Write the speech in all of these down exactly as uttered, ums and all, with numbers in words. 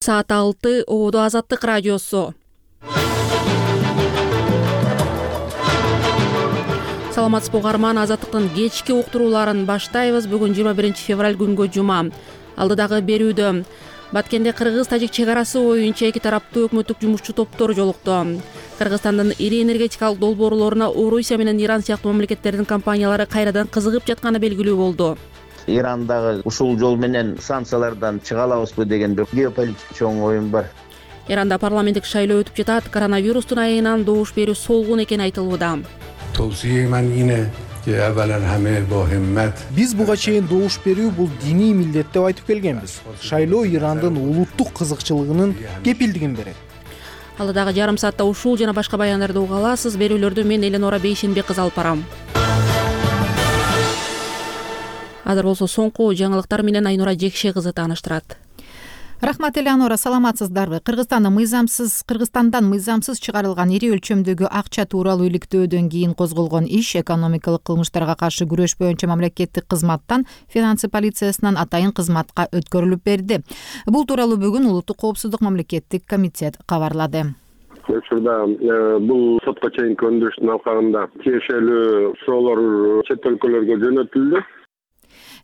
Саат алты Ободо Азаттык радиосу. Саламатсызбы угарман, Азаттыктын кечки уктурууларын баштайбыз. Бүгүн жыйырма биринчи февраль күнгө жума. Алдыдагы берүүдө Баткенде кыргыз-тажик чек арасы боюнча эки тараптуу өкмөттүк жумушчу топтор жолукту. Кыргызстандын ири энергетикалык долбоорлоруна Орусия менен Иран сыяктуу мамлекеттердин компаниялары кайрадан кызыгып жатканы белгилүү болду. Ирандагы ушул жол менен санкциялардан чыга алабызбы деген бир геополитик чоң оюн бар. Иранда парламенттик шайлоо өтүп жатат. Коронавирустун айынан добуш берүү солгун экени айтылууда. Биз буга чейин добуш берүү бул диний милдет деп айтып келгенбиз. Шайлоо Ирандын улуттук кызыкчылыгынын кепилдигин берет. Алдыдагы жарым саатта ушул жана башка баяндарды уга аласыз. Берүүлөрдү мен Эленора Бейшенбек кызы алып барам. Азыр болсо соңку жаңылыктар менен Айнура Жекше кызы тааныштырат. Рахмат, Элеонора, саламатсыздарбы? Кыргызстанда мыйзамсыз, Кыргызстандан мыйзамсыз чыгарылган ири өлчөмдөгү акча тууралуу иликтөөдөн кийин козголгон иш экономикалык кылмыштарга каршы күрөш боюнча мамлекеттик кызматтан финансы полициясынан атайын кызматка өткөрүлүп берди. Бул тууралуу бүгүн Улуттук коопсуздук мамлекеттик комитет кабарлады. Учурда бул сотко чейинки өндүрүштүн алкагында тиешелүү суроолор чет өлкөлөргө жөнөтүлдү,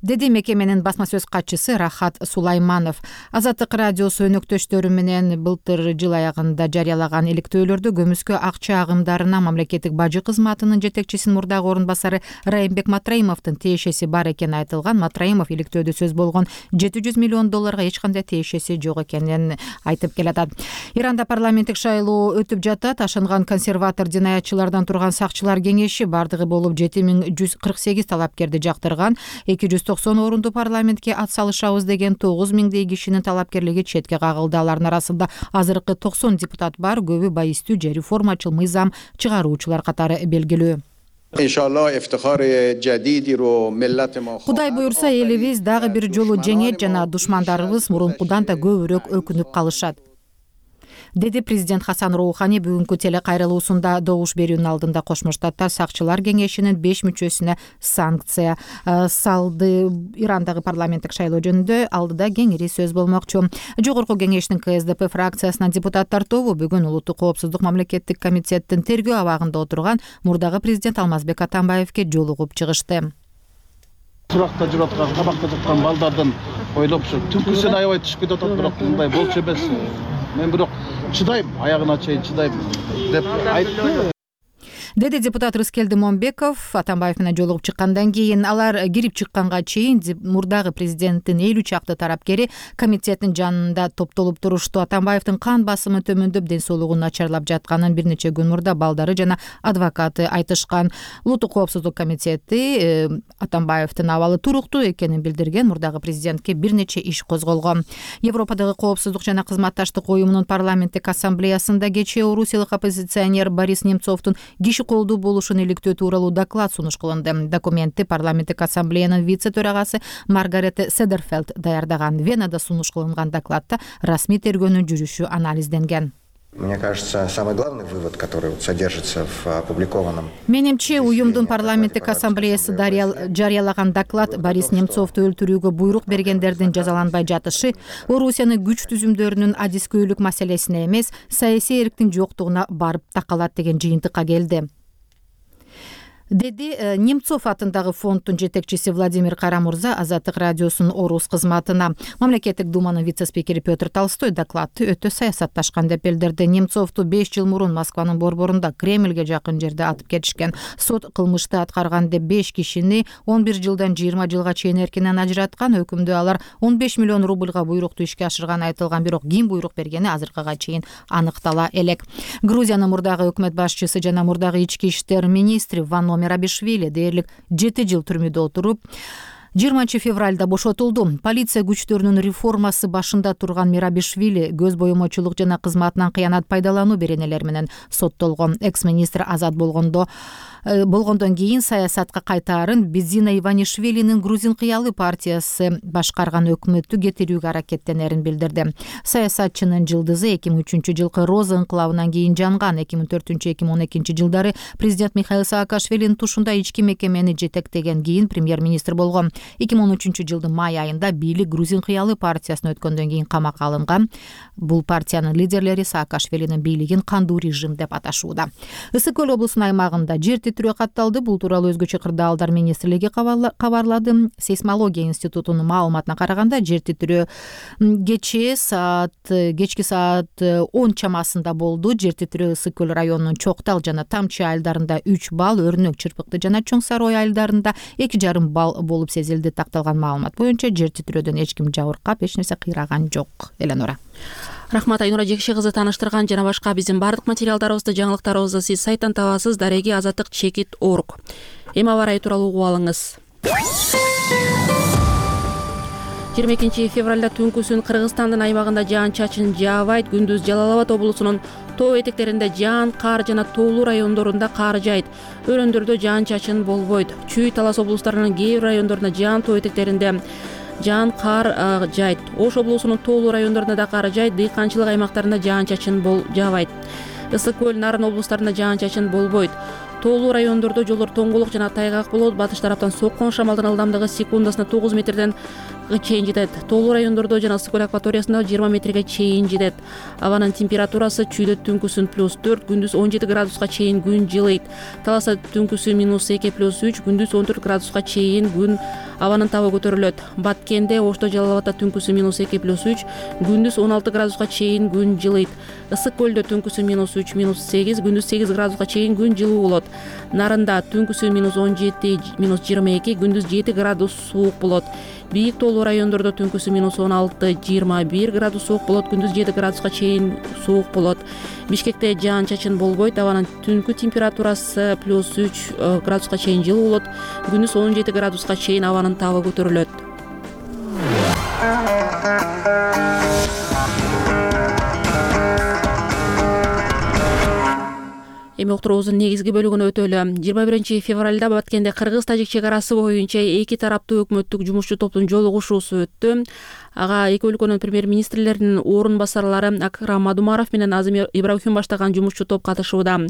деди мекеменин басма сөз катчысы Рахат Сулайманов. Азаттык радиосу өнөктөштөрү менен былтыр жыл аягында жарыялаган иликтөөлөрдө көмүскө акча агымдарына мамлекеттик бажы кызматынын жетекчисинин мурдагы орун басары Райымбек Матраимовдун тиешеси бар экени айтылган. Матраимов иликтөөдө сөз болгон жети жүз миллион долларга эч кандай тиешеси жок экенин айтып келатат. Иранда парламенттик шайлоо өтүп жатат. Ашынган консерватор динаятчылардан турган сакчылар кеңеши бардыгы болуп жети миң жүз кырк сегиз талапкерди жактырган. эки жүз токсон орунду парламентке ат салышабыз деген тогуз миңдей кишинин талапкерлиги четке кагылды. Алардын арасында азыркы токсон депутат бар. Көбү байистүү же реформачыл мыйзам чыгаруучулар катары белгилүү. Кудай буюрса, элибиз дагы бир жолу жеңет жана душмандарыбыз мурункудан да көбүрөөк өкүнүп калышат, деди президент Хасан Роухани бүгүнкү телекайрылуусунда. Добуш берүүнүн алдында Кошмо Штаттар сакчылар кеңешинин беш мүчөсүнө санкция салды. Ирандагы парламенттик шайлоо жөнүндө алдыда кеңири сөз болмокчу. Жогорку кеңештин ка эс дэ пэ фракциясынан депутаттар тобу бүгүн Улуттук коопсуздук мамлекеттик комитеттин тергөө абагында отурган мурдагы президент Алмазбек Атамбаевке жолугуп чыгышты. Суракта жүрүп аткан, кабакта жаткан балдардын ойлоп ушу түнкүсүн аябай түшүп кетип атат, бирок мындай болчу эмес. Мен бирок чыдайм, аягына чейин чыдайм деп айтты, деди депутат Рыскелди Момбеков. Атамбаев менен жолугуп чыккандан кийин алар кирип чыкканга чейин мурдагы президенттин элүү чакты тарапкери комитеттин жанында топтолуп турушту. Атамбаевдин кан басымы төмөндөп, ден соолугу начарлап жатканын бир нече күн мурда балдары жана адвокаты айтышкан. Улуттук коопсуздук комитети Атамбаевдин абалы туруктуу экенин билдирген. Мурдагы президентке бир нече иш козголгон. Европадагы коопсуздук жана кызматташтык уюмунун парламенттик ассамблеясында кечээ орусиялык оппозиционер Борис Немцовдун киши колдуу болушун иликтөө тууралуу доклад сунуш кылынды. Документти парламенттик ассамблеянын вице-төрагасы Маргарете Седерфелд даярдаган. Венада сунуш кылынган докладта расмий тергөөнүн жүрүшү анализденген. Мне кажется, самый главный вывод, который содержится в опубликованном. Менимче, уюмдун парламенттик ассамблеясы жарыялаган доклад Борис Немцовду өлтүрүүгө буйрук бергендердин жазаланбай жатышы Орусияны күч түзүмдөрүнүн адискөйлүк маселесине эмес, саясий эрктин жоктугуна барып такалат деген жыйынтыкка келди, деди Немцов атындагы фонддун жетекчиси Владимир Карамурза Азаттык радиосунун Орус кызматына. Мамлекеттик думанын вице-спикери Петр Толстой докладты өтө саясатташкан деп билдирди. Немцовду беш жыл мурун Москванын борборунда Кремльге жакын жерде атып кетишкен. Сот кылмышты аткарган деп беш кишини он бир жылдан жыйырма жылга чейин эркинен ажыраткан. Өкүмдө алар он беш миллион рубльга буйрукту ишке ашырганы айтылган, бирок ким буйрук бергени азыркыга чейин аныктала элек. Грузиянын мурдагы өкмөт башчысы жана мурдагы ички иштер министри Вано Мерабишвили дээрлик жети жыл түрмөдө отуруп жыйырманчы февралда бошотулду. Полиция күчтөрүнүн реформасы башында турган Мерабишвили көз боемочулук жана кызматынан кыянат пайдалануу беренелери менен соттолгон. Экс-министр азат болгондо болгондон кийин саясатка кайтаарын Бедзина Иванишвилинин Грузин кыялы партиясы башкарган өкмөттү кетирүүгө аракеттенерин билдирди. Саясатчынын жылдызы эки миң үчүнчү жылкы Роза инкылабынан кийин жанган. эки миң төртүнчү эки миң он экинчи жылдары президент Михаил Саакашвилинин тушунда ички мекемени жетектеген кийин премьер-министр болгон. эки миң он үчүнчү жылдын май айында бийлик Грузин кыялы партиясына өткөндөн кийин камакка алынган. Бул партиянын лидерлери Саакашвилинин бийлигин кандуу режим деп аташууда. Ысык көл облусунун аймагында жер титирөө катталды. Бул тууралуу өзгөчө кырдаалдар министрлиги кабарлады. Сейсмология институтунун маалыматына караганда жер титирөө кечээ саат кечки саат он чамасында болду. Жер титирөө Ысык көл районунун Чоктал жана Тамчы айылдарында үч балл, Өрнөк, Чырпыкты жана Чоң Сарой айылдарында эки жарым балл болуп сезилди. Такталган маалымат боюнча жер титирөөдөн эч ким жабыркап, эч нерсе кыйраган жок. Эленора. Рахмат, Айнура Жекши кызы таныштырган жана башка биздин бардык материалдарыбызды, жаңылыктарыбызды сиз сайттан табасыз. Дареги азаттык чекит орг. Эми аба ырайы тууралуу угуп алыңыз. жыйырма экинчи февралда түнкүсүн Кыргызстандын аймагында жаан-чачын жаабайт. Күндүз Жалал Абад облусунун тоо этектеринде жаан, кар жана тоолуу райондорунда кар жайт. Өрөндөрдө жаан-чачын болбойт. Чүй, Талас облустарынын кээ бир райондорунда жаан, тоо этектеринде жаан, кар жайт. Ош облусунун тоолуу райондорунда да кар жайт. Дыйканчылык аймактарында жаан-чачын бол жаабайт. Ысык көл, Нарын облустарында жаан-чачын болбойт. Тоолуу райондордо жолдор тоңголук жана тайгак болот. Батыш тараптан соккон шамалдын ылдамдыгы секундасына тогуз метрден чейин жетет. Тоолуу райондордо жана Ысык көл акваториясында жыйырма метрге чейин жетет. Абанын температурасы чүйдө түнкүсүн плюс төрт, күндүз он жети градуска чейин күн жылыйт. Таласта түнкүсү минус эки плюс үч, күндүз он төрт градуска чейин күн абанын табы көтөрүлөт. Баткенде, Ошто, Жалал Абадта түнкүсү минус эки плюс үч, күндүз он алты градуска чейин күн жылыйт. Ысык көлдө түнкүсү минус үч, минус сегиз, күндүз сегиз градуска чейин күн жылуу болот. Нарында түнкүсү минус он жети, минус жыйырма эки, күндүз жети градус суук болот. Бийик тоолуу райондордо түнкүсү минус он алты, жыйырма бир градус суук болот, күндүз жети градуска чейин суук болот. Бишкекте жаан-чачын болбойт. Абанын түнкү температурасы плюс үч градуска чейин жылуу болот, күндүз он жети градуска чейин абанын табы көтөрүлөт. Эми уктуруубуздун негизги бөлүгүнө өтөлү. жыйырма биринчи февралда Баткенде кыргыз-тажик чек арасы боюнча эки тараптуу өкмөттүк жумушчу топтун жолугушуусу өттү. Ага эки өлкөнүн премьер-министрлеринин орун басарлары Акрам Мадумаров менен Азим Ибрахим баштаган жумушчу топ катышууда.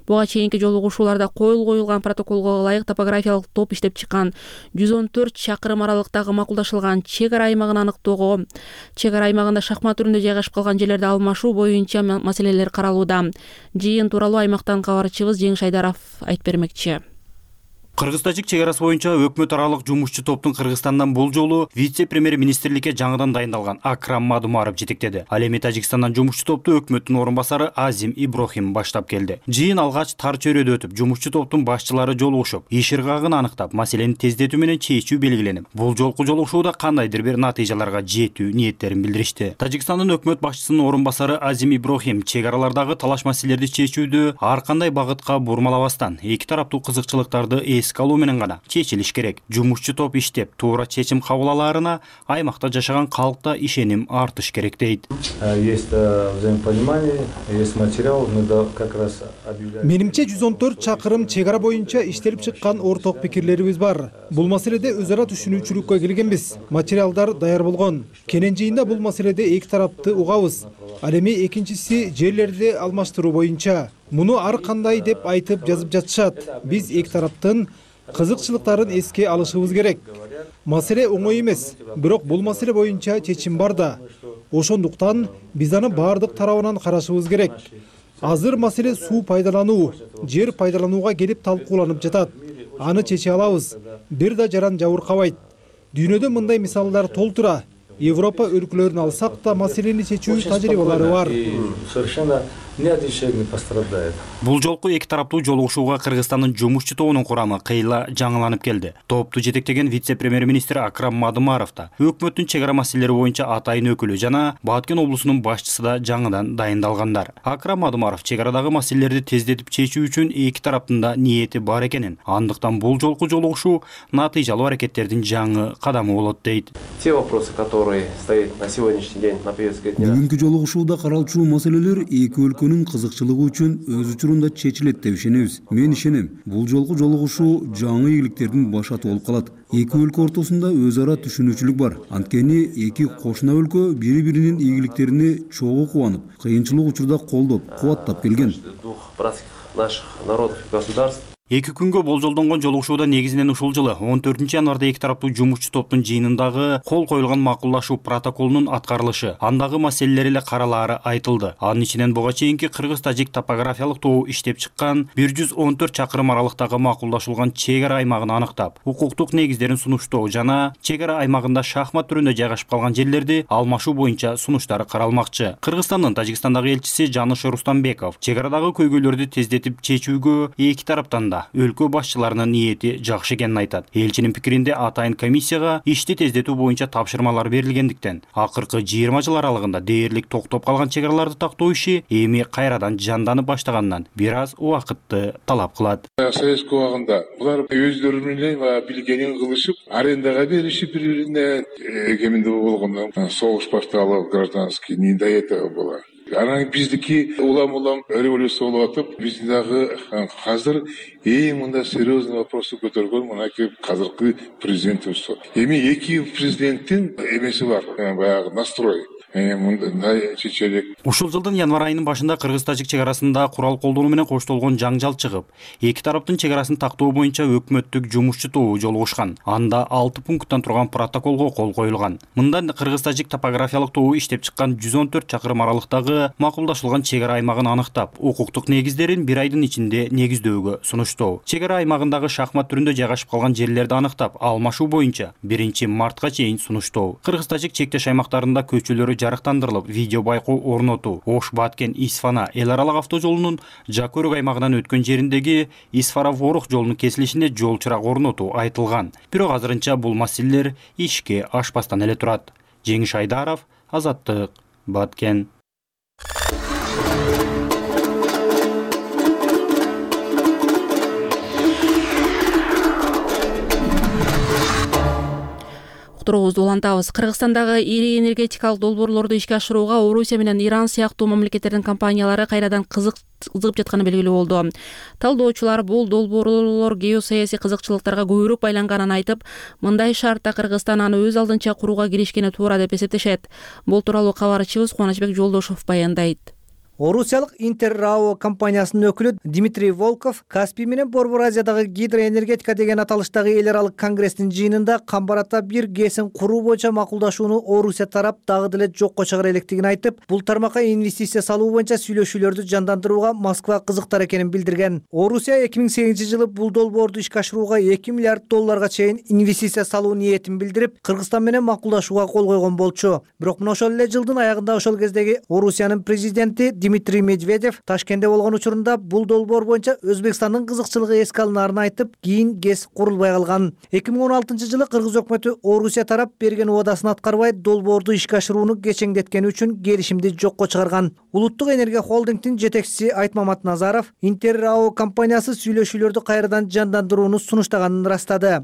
Буга чейинки жолугушууларда коюл коюлган протоколго ылайык топографиялык топ иштеп чыккан. жүз он төрт чакырым аралыктагы макулдашылган чек ара аймагын аныктоого, чек ара аймагында шахмат түрүндө жайгашып калган жерлерди алмашуу боюнча маселелер каралууда. Жыйын тууралуу аймактан кабарчыбыз Жеңиш Айдаров айтып бермекчи. Кыргыз-тажик чек арасы боюнча өкмөт аралык жумушчу топтун Кыргызстандан бул жолу вице-премьер-министрликке жаңыдан дайындалган Акрам Мадумаров жетектеди. Ал эми Тажикстандан жумушчу топту өкмөттүн орун басары Азим Ибрахим баштап келди. Жыйын алгач тар чөйрөдө өтүп, жумушчу топтун башчылары жолугушуп, иш ыргагын аныктап, маселени тездетүү менен чечүү белгиленип, бул жолку жолугушууда кандайдыр бир натыйжаларга жетүү ниеттерин билдиришти. Тажикстандын өкмөт башчысынын орун басары Азим Ибрахим чек аралардагы талаш маселелерди чечүүдү ар кандай багытка бурмалабастан, эки тараптуу кызыкчылыктарды калуу менен гана чечилиш керек. Жумушчу топ иштеп, туура чечим кабыл алаарына аймакта жашаган калкта ишеним артыш керек дейт. Есть взаимопонимание, есть материал, мы как раз объявляем. Менимче жүз он төрт чакырым чек ара боюнча иштелип чыккан орток пикирлерибиз бар. Бул маселеде өз ара түшүнүүчүлүккө келгенбиз. Материалдар даяр болгон. Кенен жыйында бул маселеде эки тарапты угабыз. Ал эми экинчиси жерлерди алмаштыруу боюнча. Муну ар кандай деп айтып жазып жатышат. Биз эки тараптын кызыкчылыктарын эске алышыбыз керек. Маселе оңой эмес, бирок бул маселе боюнча чечим бар да. Ошондуктан биз аны бардык тарабынан карашыбыз керек. Азыр маселе суу пайдалануу, жер пайдаланууга келип талкууланып жатат. Аны чече алабыз. Бир да жаран жабыркабайт. Дүйнөдө мындай мисалдар толтура. Европа өлкөлөрүн алсак да маселени чечүү тажрыйбалары бар. Совершенно ни один человек не пострадает. Бул жолку эки тараптуу жолугушууга Кыргызстандын жумушчу тобунун курамы кыйла жаңыланып келди. Топту жетектеген вице-премьер-министр Акрам Мадумаров да, өкмөттүн чек ара маселелери боюнча атайын өкүлү жана Баткен облусунун башчысы да жаңыдан дайындалгандар. Акрам Мадумаров чек арадагы маселелерди тездетип чечүү үчүн эки тараптын да ниети бар экенин, андыктан бул жолку жолугушуу натыйжалуу аракеттердин жаңы кадамы болот дейт. Те вопросы, которые стоят на сегодняшний день на повестке дня. Бүгүнкү жолугушууда каралчу маселелер эки өлкө өлкөнүн кызыкчылыгы үчүн өз учурунда чечилет деп ишенебиз. Мен ишенем, бул жолку жолугушуу жаңы ийгиликтердин башаты болуп калат. Эки өлкө ортосунда өз ара түшүнүүчүлүк бар. Анткени эки кошуна өлкө бири-биринин ийгиликтерине чогуу кубанып, кыйынчылык учурда колдоп, кубаттап келген. Эки күнгө болжолдонгон жолугушууда негизинен ушул жылы он төртүнчү январда эки тараптуу жумушчу топтун жыйынындагы кол коюлган макулдашуу протоколунун аткарылышы, андагы маселелер эле каралаары айтылды. Анын ичинен буга чейинки кыргыз-тажик топографиялык тобу иштеп чыккан бир жүз он төрт чакырым аралыктагы макулдашылган чек ара аймагын аныктап, укуктук негиздерин сунуштоо жана чек ара аймагында шахмат түрүндө жайгашып калган жерлерди алмашуу боюнча сунуштар каралмакчы. Кыргызстандын Тажикстандагы элчиси Жаныш Рустамбеков чек арадагы көйгөйлөрдү тездетип чечүүгө эки тараптан да өлкө башчыларынын ниети жакшы экенин айтат. Элчинин пикиринде атайын комиссияга ишти тездетүү боюнча тапшырмалар берилгендиктен, акыркы жыйырма жыл аралыгында дээрлик токтоп калган чек араларды тактоо иши эми кайрадан жанданып баштаганынан бир аз убакытты талап кылат. Советский убагында булар өздөрү менен билгенин кылышып, арендага беришип бири-бирине кеминде болгондон согуш башталып, гражданский не до этого было. Анан биздики улам-улам революция болуп атып, биздин дагы азыр эң мында серьезный вопросы көтөргөн мынакей азыркы президентибиз. Эми эки президенттин эмеси бар, баягы настрой. Ушул жылдын январь айынын башында кыргыз-тажик чек арасында курал колдонуу менен коштолгон жаңжал чыгып, эки тараптын чек арасын тактоо боюнча өкмөттүк жумушчу тобу жолугушкан. Анда алты пункттан турган протоколго кол коюлган. Мында кыргыз-тажик топографиялык тобу иштеп чыккан жүз он төрт чакырым аралыктагы макулдашылган чек ара аймагын аныктап, укуктук негиздерин бир айдын ичинде негиздөөгө сунуштоо. Чек ара аймагындагы шахмат түрүндө жайгашып калган жерлерди аныктап, алмашуу боюнча биринчи мартка чейин сунуштоо. Кыргыз-тажик чектеш аймактарында көчөлөрү жарыктандырылып, видео байкоо орнотуу. Ош Баткен Исфана эл аралык автожолунун Жакөрөк аймагынан өткөн жериндеги Исфара-Ворох жолунун кесилишинде жол чырак орнотуу айтылган. Бирок азырынча бул маселелер ишке ашпастан эле турат. Жеңиш Айдаров, Азаттык, Баткен. Уктуруубузду улантабыз. Кыргызстандагы ири энергетикалык долбоорлорду ишке ашырууга Орусия менен Иран сыяктуу мамлекеттердин компаниялары кайрадан кызыгып жатканы белгилүү болду. Талдоочулар бул долбоорлор геосаясий кызыкчылыктарга көбүрөөк байланганын айтып, мындай шартта Кыргызстан аны өз алдынча курууга киришкени туура деп эсептешет. Бул тууралуу кабарчыбыз Кубанычбек Жолдошов баяндайт. Орусиялык Интеррао компаниясынын өкүлү Дмитрий Волков Каспий менен Борбор Азиядагы гидроэнергетика деген аталыштагы эл аралык конгресстин жыйынында Камбарата бир ГЭСин куруу боюнча макулдашууну Орусия тарап дагы деле жокко чыгара электигин айтып, бул тармакка инвестиция салуу боюнча сүйлөшүүлөрдү жандандырууга Москва кызыктар экенин билдирген. Орусия эки миң сегизинчи жылы бул долбоорду ишке ашырууга эки миллиард долларга чейин инвестиция салуу ниетин билдирип, Кыргызстан менен макулдашууга кол койгон болчу. Бирок мына ошол эле жылдын аягында ошол кездеги Орусиянын президенти Дмитрий Медведев Ташкентте болгон учурунда бул долбоор боюнча Өзбекстандын кызыкчылыгы эске алынаарын айтып, кийин ГЭС курулбай калган. эки миң он алтынчы жылы Кыргыз өкмөтү Орусия тарап берген убадасын аткарбай долбоорду ишке ашырууну кечеңдеткени үчүн келишимди жокко чыгарган. Улуттук энергия холдингдин жетекчиси Айтмамат Назаров Интеррао компаниясы сүйлөшүүлөрдү кайрадан жандандырууну сунуштаганын ырастады.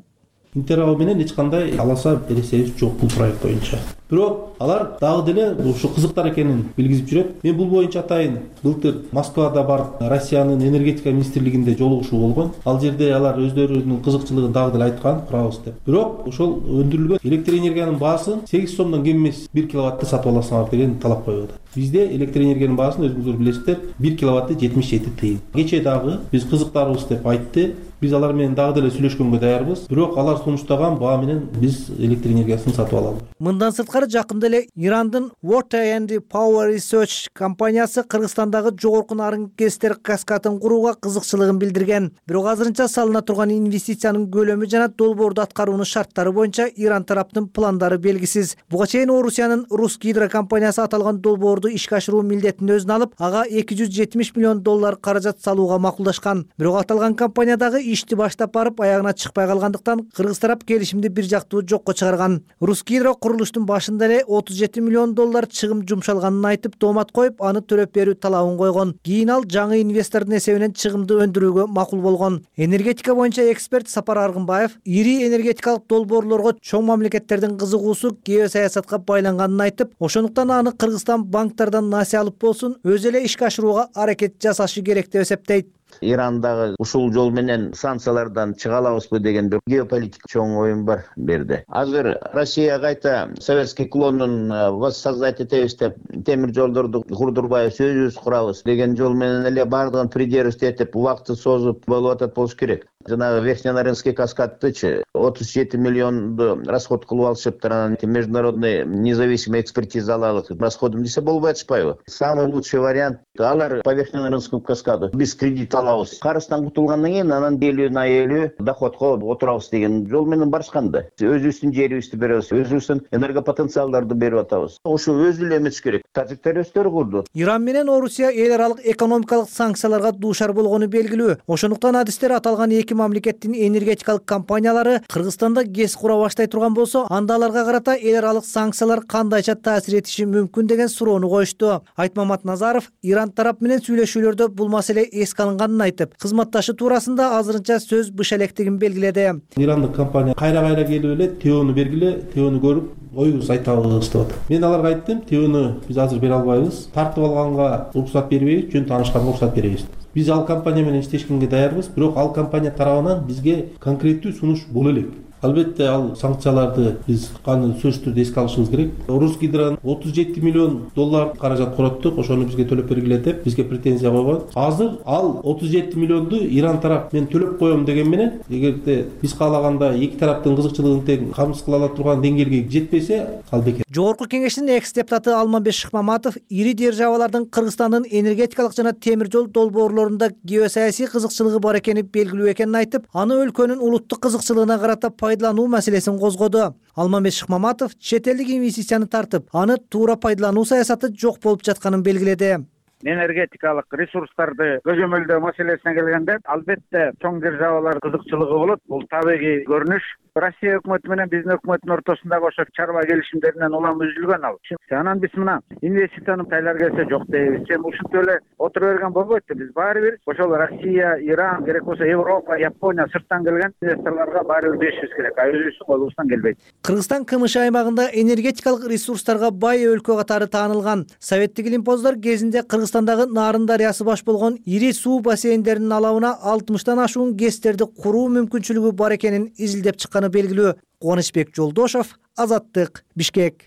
Интеррао менен эч кандай аласа бересебиз жок бул проект боюнча. Бирок алар дагы деле ушу кызыктар экенин билгизип жүрөт. Мен бул боюнча атайын былтыр Москвада барып, Россиянын энергетика министрлигинде жолугушуу болгон. Ал жерде алар өздөрүнүн кызыкчылыгын дагы деле айткан, курабыз деп. Бирок ошол өндүрүлгөн электр энергиянын баасын сегиз сомдон кем эмес бир киловаттты сатып аласыңар деген талап коюлду. Бизде электр энергиянын баасын өзүңүздөр билесиздер, бир киловатты жетимиш жети тыйын. Кечээ дагы биз кызыктарбыз деп айтты. Biz алар менен дагы деле сүйлөшкөнгө даярбыз. Бирок алар сунуштаган баа менен биз электр энергиясын сатып алабыз. Мындан сырткары жакында эле Ирандын Water and Power Research компаниясы Кыргызстандагы жогорку нарын ГЭСтер каскадын курууга кызыкчылыгын билдирген. Бирок азырынча салына турган инвестициянын көлөмү жана долбоорду аткаруунун шарттары боюнча Иран тараптын пландары белгисиз. Буга чейин Орусиянын Русгидро компаниясы аталган долбоорду ишке ашыруу милдетин өзүнө алып, ага эки жүз жетимиш миллион доллар каражат салууга макулдашкан. Бирок аталган компаниядагы ишти баштап барып аягына чыкпай калгандыктан Кыргыз тарап келишимди бир жактуу жокко чыгарган. Русгидро курулуштун баш башында эле отуз жети миллион доллар чыгым жумшалганын айтып тоомат коюп, аны төлөп берүү талабын койгон. Кийин ал жаңы инвестордун эсебинен чыгымды өндүрүүгө макул болгон. Энергетика боюнча эксперт Сапар Аргынбаев ири энергетикалык долбоорлорго чоң мамлекеттердин кызыгуусу геосаясатка байланганын айтып, ошондуктан аны Кыргызстан банктардан насыя алып болсун өзү эле ишке ашырууга аракет жасашы керек деп эсептейт. Ирандагы ушул жол менен санкциялардан чыга алабызбы деген бир геополитик чоң оюн бар берди. Азыр Россия кайта советский клонун воссоздать этебиз деп темир жолдорду курдурбайбыз, өзүбүз курабыз деген жол менен эле бардыгын придерживать этип убакытты созуп болуп атат болуш керек. Жанагы Верхненаринский каскадтычы отуз жети миллионду расход кылып алышыптыр, анан международный независимый экспертиза алалы расходун десе болбой атышпайбы? Самый лучший вариант алар по Верхненаринскому каскаду без кредита алабыз. Карыздан кутулгандан кийин анан элүү на элүү доходко отурабыз деген жол менен барышканда. Өзүбүздүн жерибизди беребиз, өзүбүздүн энергопотенциалдарды берип атабыз. Ошо өзү эле эметиш керек. Тажиктер өздөрү курду. Иран менен Орусия эл аралык экономикалык санкцияларга дуушар болгону белгилүү. Ошондуктан адистер аталган эки мамлекеттин энергетикалык компаниялары Кыргызстанда ГЭС кура баштай турган болсо, анда аларга карата эл аралык санкциялар кандайча таасир этиши мүмкүн деген суроону коюшту. Айтмамат Назаров Иран тарап менен сүйлөшүүлөрдө бул маселе эске алынганын айтып, кызматташы туурасында азырынча сөз быш электигин белгиледи. Ирандык компания кайра-кайра келип эле ТОну бергиле, ТОну көрүп, оюбуз айтабыз деп атат. Мен аларга айттым, ТОну биз азыр бере албайбыз, тартып алганга уруксат бербейбиз, жөн таанышканга уруксат беребиз. Биз ал компания менен иштешкенге даярбыз, бирок ал компания тарабынан бизге конкреттүү сунуш боло элек. Албетте ал санкцияларды биз каны сөзсүз түрдө эске алышыбыз керек. Русгидро отуз жети миллион доллар каражат короттук, ошону бизге төлөп бергиле деп бизге претензия койгон. Азыр ал отуз жети миллионду Иран тарап мен төлөп коем деген менен, эгерде биз каалаганда эки тараптын кызыкчылыгын тең камсыз кыла ала турган деңгээлге жетпесе, ал бекер. Жогорку кеңештин экс-депутаты Алмамбет Шыкмаматов ири державалардын Кыргызстандын энергетикалык жана темир жол долбоорлорунда геосаясий кызыкчылыгы бар экени белгилүү экенин айтып, аны өлкөнүн улуттук кызыкчылыгына карата пайдалануу маселесин козгоду. Алмамбет Шыкмаматов чет элдик инвестицияны тартып, аны туура пайдалануу саясаты жок болуп жатканын белгиледи. Энергетикалык ресурстарды көзөмөлдөө маселесине келгенде, албетте чоң державалар кызыкчылыгы болот. Бул табигый көрүнүш. Россия өкмөтү менен биздин өкмөттүн ортосундагы ошо чарба келишимдеринен улам үзүлгөн ал. Анан биз мына инвестицияны тайлар келсе жок дейбиз. Сен ушинтип эле отура берген болбойт. Биз баары бир ошол Россия, Иран, керек болсо Европа, Япония сырттан келген инвесторлорго баары бир беришибиз керек. А өзүбүздүн колубуздан келбейт. Кыргызстан КМШ аймагында энергетикалык ресурстарга бай өлкө катары таанылган. Советтик илимпоздор кезинде Кыргызстандагы Нарын дарыясы баш болгон ири суу бассейндеринин алабына алтымыштан ашуун ГЭСтерди куруу мүмкүнчүлүгү бар экенин изилдеп чыккан белгилүү. Кубанычбек Жолдошов, Азаттык, Бишкек.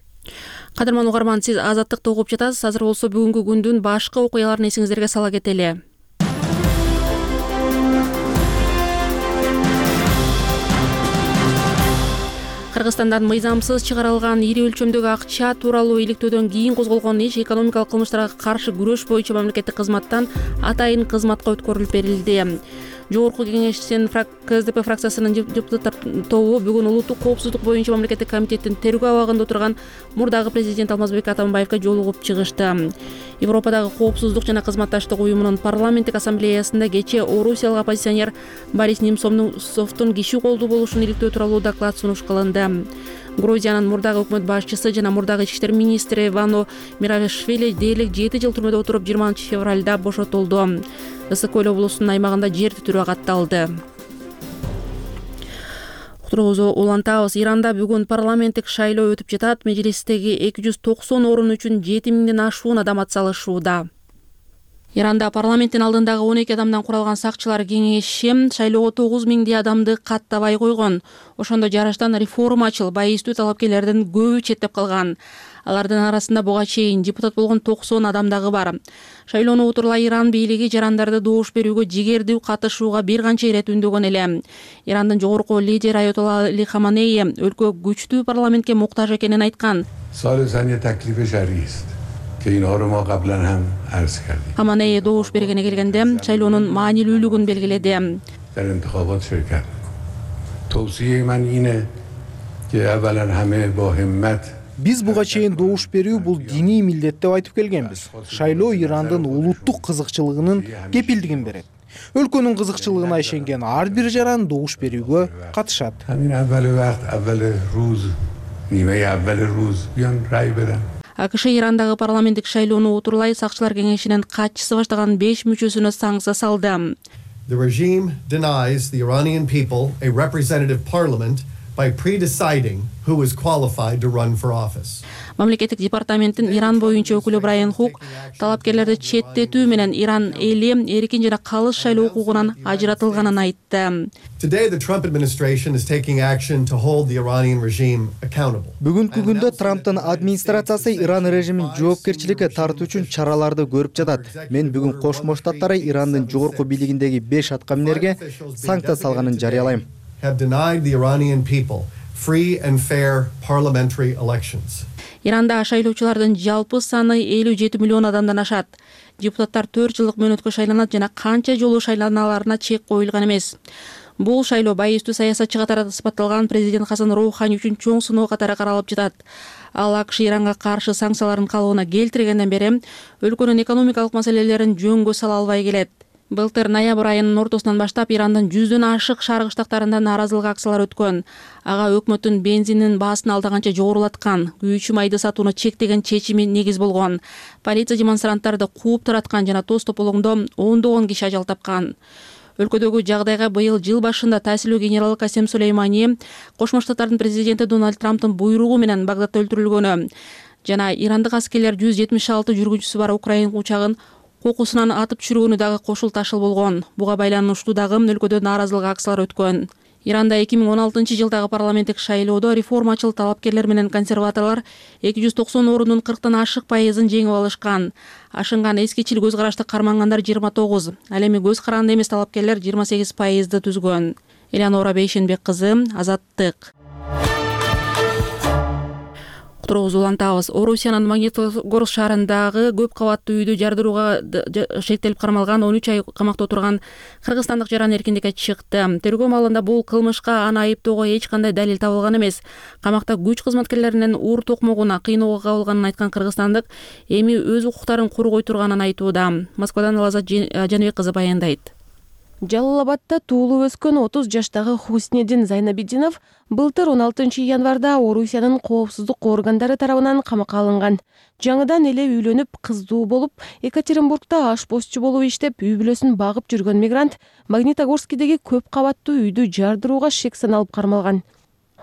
Кадырман угарман, сиз Азаттыкты угуп жатасыз. Азыр болсо бүгүнкү күндүн башка окуяларын эсиңиздерге сала кетели. Кыргызстандан мыйзамсыз чыгарылган ири өлчөмдөгү акча тууралуу иликтөөдөн кийин козголгон иш экономикалык кылмыштарга каршы күрөш боюнча мамлекеттик кызматтан атайын кызматка өткөрүлүп берилди. Жогорку кеңештин КСДП фракциясынын депутаттар тобу бүгүн улуттук коопсуздук боюнча мамлекеттик комитеттин тергөө абагында отурган мурдагы президент Алмазбек Атамбаевге жолугуп чыгышты. Европадагы коопсуздук жана кызматташтык уюмунун парламенттик ассамблеясында кечээ орусиялык оппозиционер Борис Немцовдун киши колдуу болушун иликтөө тууралуу доклад сунуш кылынды. Грузиянын мурдагы өкмөт башчысы жана мурдагы ички иштер министри Вано Миравишвили дээрлик жети жыл түрмөдө отуруп жыйырманчы февралда бошотулду. Ысык көл облусунун аймагында жер титирөө катталды. Уктуруубузду улантабыз. Иранда бүгүн парламенттик шайлоо өтүп жатат. Межлистеги эки жүз токсон орун үчүн жети миңден ашуун адам атсалышууда. Иранда парламенттин алдындагы он эки адамдан куралган сакчылар кеңеши шайлоого тогуз миңдей адамды каттабай койгон. Ошондо жарыштан реформачыл, байыстуу талапкерлердин көбү четтеп калган. Алардын арасында буга чейин депутат болгон токсон адам дагы бар. Шайлоону утурлай Иран бийлиги жарандарды добуш берүүгө жигердүү катышууга бир канча ирет үндөгөн эле. Ирандын жогорку лидери Аятолла Али Хаманеи өлкө күчтүү парламентке муктаж экенин айткан. Хаманеи добуш бергени келгенде шайлоонун маанилүүлүгүн белгиледи. Биз буга чейин добуш берүү бул диний милдет деп айтып келгенбиз. Шайлоо Ирандын улуттук кызыкчылыгынын кепилдигин берет. Өлкөнүн кызыкчылыгына ишенген ар бир жаран добуш берүүгө катышат. АКШ Ирандагы парламенттик шайлоону утурлай сакчылар кеңешинин катчысы баштаган беш мүчөсүнө санкция салды. The regime denies the Iranian people a representative parliament by pre-deciding who is qualified to run for office. Мамлекеттик департаменттин Иран боюнча өкүлү Брайан Хук талапкерлерди четтетүү менен Иран эли эркин жана калыс шайлоо укугунан ажыратылганын айтты. Today the Trump administration is taking action to hold the Iranian regime accountable. Бүгүнкү күндө Трамптын администрациясы Иран режимин жоопкерчиликке тартуу үчүн чараларды көрүп жатат. Мен бүгүн Кошмо Штаттары Ирандын жогорку бийлигиндеги беш аткаминерге санкция салганын жарыялайм. Have denied the Iranian people free and fair parliamentary elections. Иранда шайлоочулардын жалпы саны элүү жети миллион адамдан ашат. Депутаттар төрт жылдык мөөнөткө шайланат жана канча жолу шайланаларына чек коюлган эмес. Бул шайлоо байыстуу саясатчы катары сыпатталган президент Хасан Роухани үчүн чоң сыноо катары каралып жатат. Ал АКШ Иранга каршы санкциялардын калыбына келтиргенден бери өлкөнүн экономикалык маселелерин жөнгө сала албай келет. Былтыр ноябрь айынын ортосунан баштап Ирандын жүздөн ашык шаркы штаттарында нааразылык акциялары өткөн. Ага өкмөттүн бензиндин баасын алдаганча жогорулаткан, күйүүчү майды сатууну чектеген чечими негиз болгон. Полиция демонстранттарды кууп тараткан жана тоз тополоңдо ондогон киши ажал тапкан. Өлкөдөгү жагдайга быйыл жыл башында таасилүү генерал Касем Сулеймани Кошмо Штаттардын президенти Дональд Трамптын буйругу менен Багдадта өлтүрүлгөнү жана ирандык аскерлер жүз жетимиш алты жүргүнчүсү бар Украин учагын кокусунан атып түшүргөнү дагы кошул ташыл болгон. Буга байланыштуу дагы өлкөдө нааразылык акциялары өткөн. Иранда эки миң он алтынчы жылдагы парламенттик шайлоодо реформачыл талапкерлер менен консерваторлор эки жүз токсон орунун кырктан ашык пайызын жеңип алышкан. Ашынган эскичил көз карашты кармангандар жыйырма тогуз, ал эми көз каранды эмес талапкерлер жыйырма сегиз пайызды түзгөн. Элеонора Бейшенбек кызы, Азаттык. Тургузу улантабыз. Орусиянын Магнитогорск шаарындагы көп кабаттуу үйдү жардырууга шектелип кармалган он үч ай камакта отурган кыргызстандык жаран эркиндикке чыкты. Тергөө маалында бул кылмышка аны айыптоого эч кандай далил табылган эмес. Камакта күч кызматкерлеринин уур токмогуна кыйноого кабылганын айткан кыргызстандык эми өз укуктарын коргой турганын айтууда. Москвадан Лазат Жаныбек кызы баяндайт. Жалал Абадта туулуп өскөн отуз жаштагы Хуснедин Зайнабидинов былтыр он алтынчы январда Орусиянын коопсуздук органдары тарабынан камакка алынган. Жаңыдан эле үйлөнүп, кыздуу болуп, Екатеринбургда ашпозчу болуп иштеп, үй бүлөсүн багып жүргөн мигрант Магнитогорскидеги көп кабаттуу үйдү жардырууга шек саналып кармалган.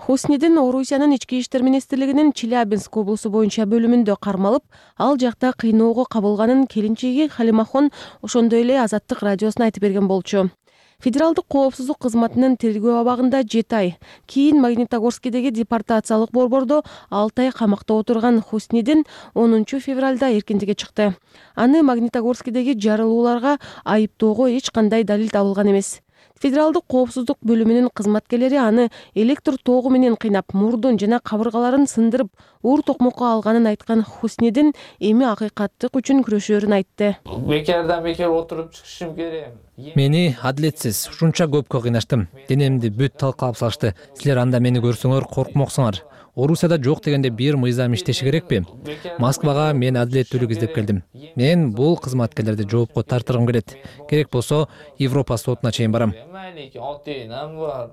Хуснедин Орусиянын ички иштер министрлигинин Челябинск облусу боюнча бөлүмүндө кармалып, ал жакта кыйноого кабылганын келинчеги Халимахон ошондой эле Азаттык радиосуна айтып берген болчу. Федералдык коопсуздук кызматынын тергөө абагында жети ай, кийин Магнитогорскидеги депортациялык борбордо алты ай камакта отурган Хуснедин онунчу февралда эркиндикке чыкты. Аны Магнитогорскидеги жарылууларга айыптоого эч кандай далил табылган эмес. Федералдык коопсуздук бөлүмүнүн кызматкерлери аны электр тогу менен кыйнап, мурдун жана кабыргаларын сындырып, уур токмокко алганын айткан Хуснедин эми акыйкаттык үчүн күрөшөөрүн айтты. Бекерден бекер отуруп чыгышым керек. Мени адилетсиз ушунча көпкө кыйнаштым. Денемди бүт талкалап салышты. Силер анда мени көрсөңөр коркмоксуңар. Орусияда жок дегенде бир мыйзам иштеши керекпи? Москвага мен адилеттүүлүк издеп келдим. Мен бул кызматкерлерди жоопко тартыргым келет. Керек болсо Европа сотуна чейин барам.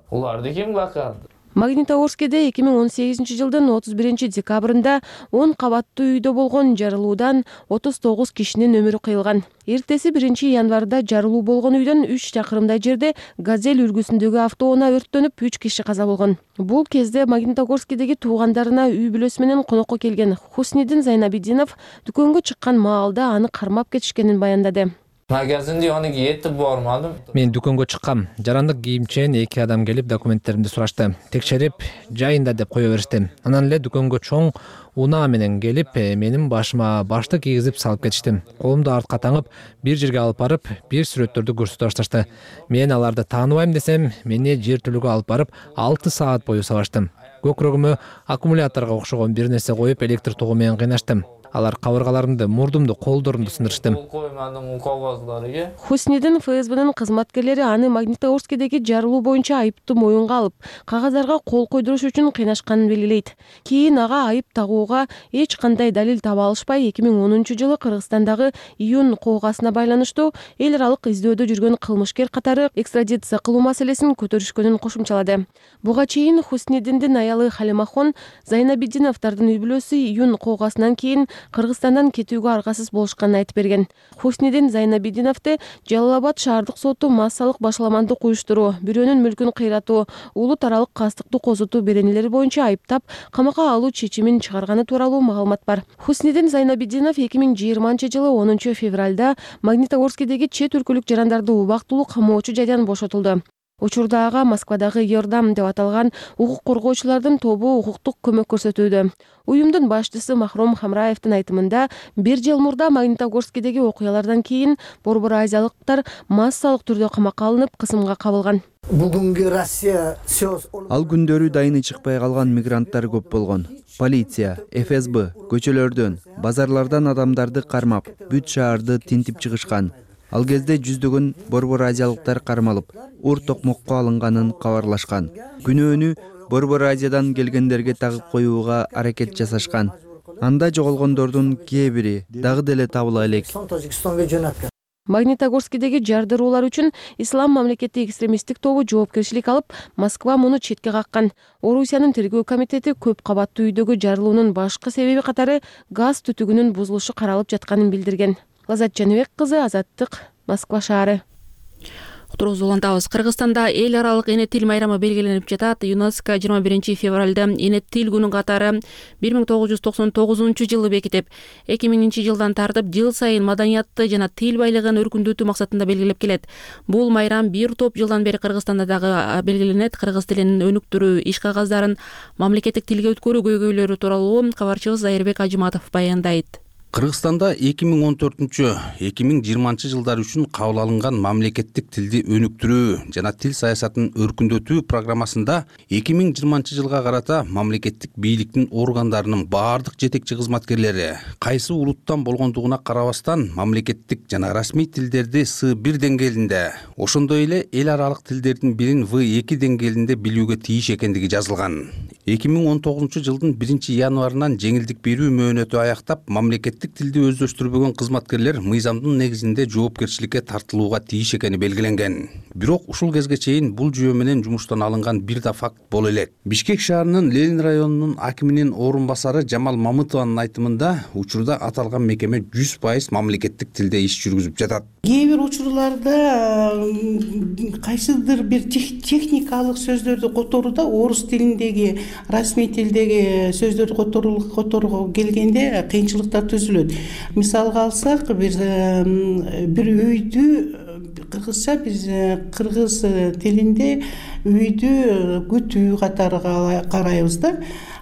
Уларды ким бакат? Магнитогорскиде эки миң он сегизинчи жылдын отуз биринчи декабрында он кабаттуу үйдө болгон жарылуудан отуз тогуз кишинин өмүрү кыйылган. Эртеси биринчи январда жарылуу болгон үйдөн үч чакырымдай жерде Газель үлгүсүндөгү автоунаа өрттөнүп, үч киши каза болгон. Бул кезде Магнитогорскидеги туугандарына үй бүлөсү менен конокко келген Хуснедин Зайнабидинов дүкөнгө чыккан маалда аны кармап кетишкенин баяндады. Магазинде аны кетип бармадым. Мен дүкөнгө чыккам. Жарандык кийимчен эки адам келип документтеримди сурашты. Текшерип, жайында деп кое беришти. Анан эле дүкөнгө чоң унаа менен келип, менин башыма башты кийгизип салып кетишти. Колумду артка таңып, бир жерге алып барып, бир сүрөттөрдү көрсөтө башташты. Мен аларды тааныбайм десем, мени жер түлүгү алып барып, алты саат бою сабаштым. Көкүрөгүмө аккумуляторго окшогон бир нерсе коюп, электр тогу менен кыйнаштым. Алар кабыргаларымды, мурдумду, колдорумду сындырышты. Хуснидин эф эс бнын кызматкерлери аны Магнитогорскидеги жарылуу боюнча айыптуу моюнга алып, кагаздарга кол койдуруш үчүн кыйнашканын белгилейт. Кийин ага айып тагууга эч кандай далил таба алышпай, эки миң онунчу жылы Кыргызстандагы июнь коогасына байланыштуу эл аралык издөөдө жүргөн кылмышкер катары экстрадиция кылуу маселесин көтөрүшкөнүн кошумчалады. Буга чейин Хуснидиндин аялы Халимахон Зайнабидиновдордун үй бүлөсү июнь коогасынан кийин Кыргызстандан кетүүгө аргасыз болушканын айтып берген. Хуснидин Зайнабидиновду Жалал-Абад шаардык соту массалык башаламандык уюштуруу, бирөөнүн мүлкүн кыйратуу, улут аралык кастыктуу козутуу беренелери боюнча айыптап, камакка алуу чечимин чыгарганы тууралуу маалымат бар. Хуснидин Зайнабидинов эки миң жыйырманчы жылы онунчу февралда Магнитогорскидеги чет өлкөлүк жарандарды убактылуу камоочу жайдан бошотулду. Учурда ага Москвадагы Йордам деп аталган укук коргоочулардын тобу укуктук көмөк көрсөтүүдө. Уюмдун башчысы Махром Хамраевдин айтымында, бир жыл мурда Магнитогорскидеги окуялардан кийин борбор азиялыктар массалык түрдө камакка алынып, кысымга кабылган. Бүгүнкү Россия ал күндөрү дайыны чыкпай калган мигранттар көп болгон. Полиция, эф эс бэ көчөлөрдөн, базарлардан адамдарды кармап, бүт шаарды тинтип чыгышкан. Ал кезде жүздөгөн борбор азиялыктар кармалып, ур токмокко алынганын кабарлашкан. Күнөөнү борбор Азиядан келгендерге тагып коюуга аракет жасашкан. Анда жоголгондордун кээ бири дагы деле табыла элек. Магнитогорскидеги жардыруулар үчүн Ислам мамлекети экстремисттик тобу жоопкерчилик алып, Москва муну четке каккан. Орусиянын тергөө комитети көп кабаттуу үйдөгү жарылуунун башкы себеби катары газ түтүгүнүн бузулушу каралып жатканын билдирген. Лазат Жаныбек кызы, Азаттык, Москва шаары. Уктуруубузду улантабыз. Кыргызстанда эл аралык эне тил майрамы белгиленип жатат. ЮНЕСКО жыйырма биринчи февралда эне тил күнүн катары бир миң тогуз жүз токсон тогузунчу жылы бекитип, эки миңинчи жылдан тартып жыл сайын маданиятты жана тил байлыгын өркүндөтүү максатында белгилеп келет. Бул майрам бир топ жылдан бери Кыргызстанда дагы белгиленет. Кыргыз тилин өнүктүрүү иш кагаздарын мамлекеттик тилге өткөрүү көйгөйлөрү тууралуу кабарчыбыз Айырбек Ажыматов баяндайт. Кыргызстанда эки миң он төртүнчү - эки миң жыйырманчы жылдар үчүн кабыл алынган мамлекеттик тилди өнүктүрүү жана тил саясатын өркүндөтүү программасында эки миң жыйырманчы жылга карата мамлекеттик бийликтин органдарынын баардык жетекчи кызматкерлери кайсы улуттан болгондугуна карабастан мамлекеттик жана расмий тилдерди С бир деңгээлинде, ошондой эле эл аралык тилдердин бирин В эки деңгээлинде билүүгө тийиш экендиги жазылган. эки миң он тогузунчу жылдын биринчи январынан жеңилдик берүү мөөнөтү аяктап, мамлекеттик тилди өздөштүрбөгөн кызматкерлер мыйзамдын негизинде жоопкерчиликке тартылууга тийиш экени белгиленген. Бирок ушул кезге чейин бул жүйө менен жумуштан алынган бир да факт боло элек. Бишкек шаарынын Ленин районунун акиминин орун басары Жамал Мамытованын айтымында, учурда аталган мекеме жүз пайыз мамлекеттик тилде иш жүргүзүп жатат. Кээ бир учурларда кайсыдыр бир техникалык сөздөрдү которууда, орус тилиндеги, расмий тилдеги сөздөрдү которууга келгенде кыйынчылыктар түзүлөт. Мисалга алсак, бир бир үйдү кыргызча биз кыргыз тилинде үйдү күтүү катары карайбыз да.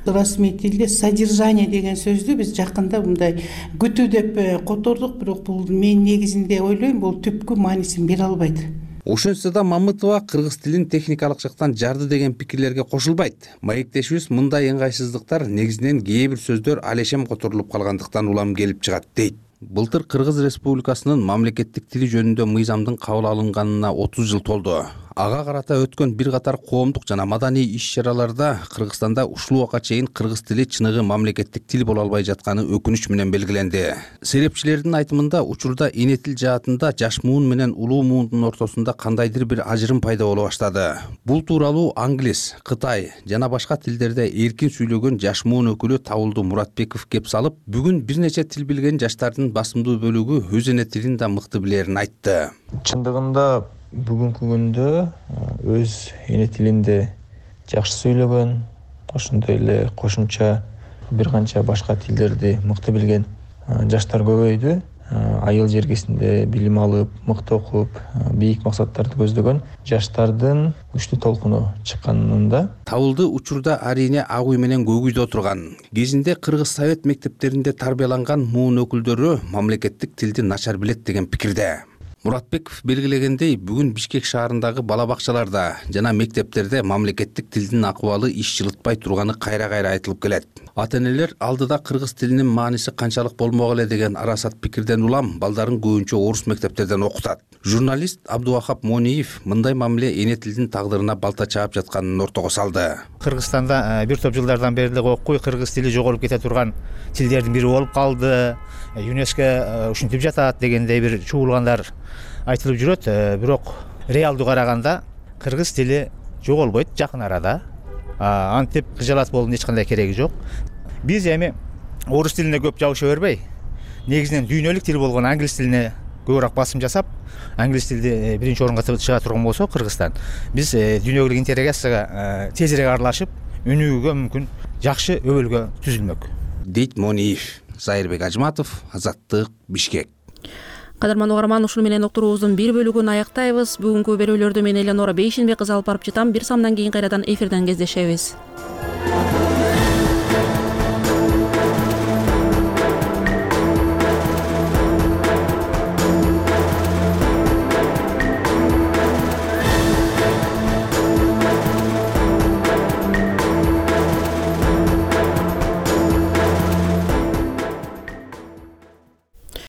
Расмий тилде содержание деген сөздү биз жакында мындай күтүү деп котордук, бирок бул мен негизинде ойлойм, бул түпкү маанисин бере албайт. Ошентсе да Мамытова кыргыз тилин техникалык жактан жарды деген пикирлерге кошулбайт. Маектешибиз мындай ыңгайсыздыктар негизинен кээ бир сөздөр алешем которулуп калгандыктан улам келип чыгат дейт. Былтыр Кыргыз Республикасынын мамлекеттик тили жөнүндө мыйзамдын кабыл алынганына отуз жыл толду. Ага карата өткөн бир катар коомдук жана маданий иш-чараларда Кыргызстанда ушул убакка чейин кыргыз тили чыныгы мамлекеттик тил боло албай жатканы өкүнүч менен белгиленди. Серепчилердин айтымында, учурда эне тил жаатында жаш муун менен улуу муундун ортосунда кандайдыр бир ажырым пайда боло баштады. Бул тууралуу англис, кытай жана башка тилдерде эркин сүйлөгөн жаш муун өкүлү Табылды Муратбеков кеп салып, бүгүн бир нече тил билген жаштардын басымдуу бөлүгү өз эне тилин да мыкты билерин айтты. Чындыгында бүгүнкү күндө өз эне тилинде жакшы сүйлөгөн, ошондой эле кошумча бир канча башка тилдерди мыкты билген жаштар көбөйдү. Айыл жергесинде билим алып, мыкты окуп, бийик максаттарды көздөгөн жаштардын күчтүү толкуну чыкканында. Табылды учурда арине ак үй менен көк үйдө отурган. Кезинде Кыргыз совет мектептеринде тарбияланган муун өкүлдөрү мамлекеттик тилди начар билет деген пикирде. Муратбеков белгилегендей, бүгүн Бишкек шаарындагы бала бакчаларда жана мектептерде мамлекеттик тилдин акыбалы иш жылытпай турганы кайра-кайра айтылып келет. Ата-энелер алдыда кыргыз тилинин мааниси канчалык болмок эле деген арасат пикирден улам балдарын көбүнчө орус мектептерден окутат. Журналист Абдувахап Мониев мындай мамиле эне тилдин тагдырына балта чаап жатканын ортого салды. Кыргызстанда бир топ жылдардан бери эле окуй кыргыз тили жоголуп кете турган тилдердин бири болуп калды. ЮНЕСКО ушинтип жатат дегендей бир чуулгандар айтылып жүрөт. Бирок реалдуу караганда кыргыз тили жоголбойт жакын арада. Антип кыжалат болуунун эч кандай кереги жок. Биз эми орус тилине көп жабыша бербей, негизинен дүйнөлүк тил болгон англис тилине көбүрөөк басым жасап, англис тилди биринчи орунга чыга турган болсо Кыргызстан, биз дүйнөлүк интеграцияга тезирээк аралашып, өнүгүүгө мүмкүн жакшы өбөлгө түзүлмөк. Дейт Мониев. Зайырбек Ажматов, Азаттык, Бишкек. Кадырман угарман, ушуну менен уктуруубуздун бир бөлүгүн аяктайбыз. Бүгүнкү берүүлөрдү мен Эленора Бейшенбек кызы алып барып жатам. Бир самдан кийин кайрадан эфирден кездешебиз.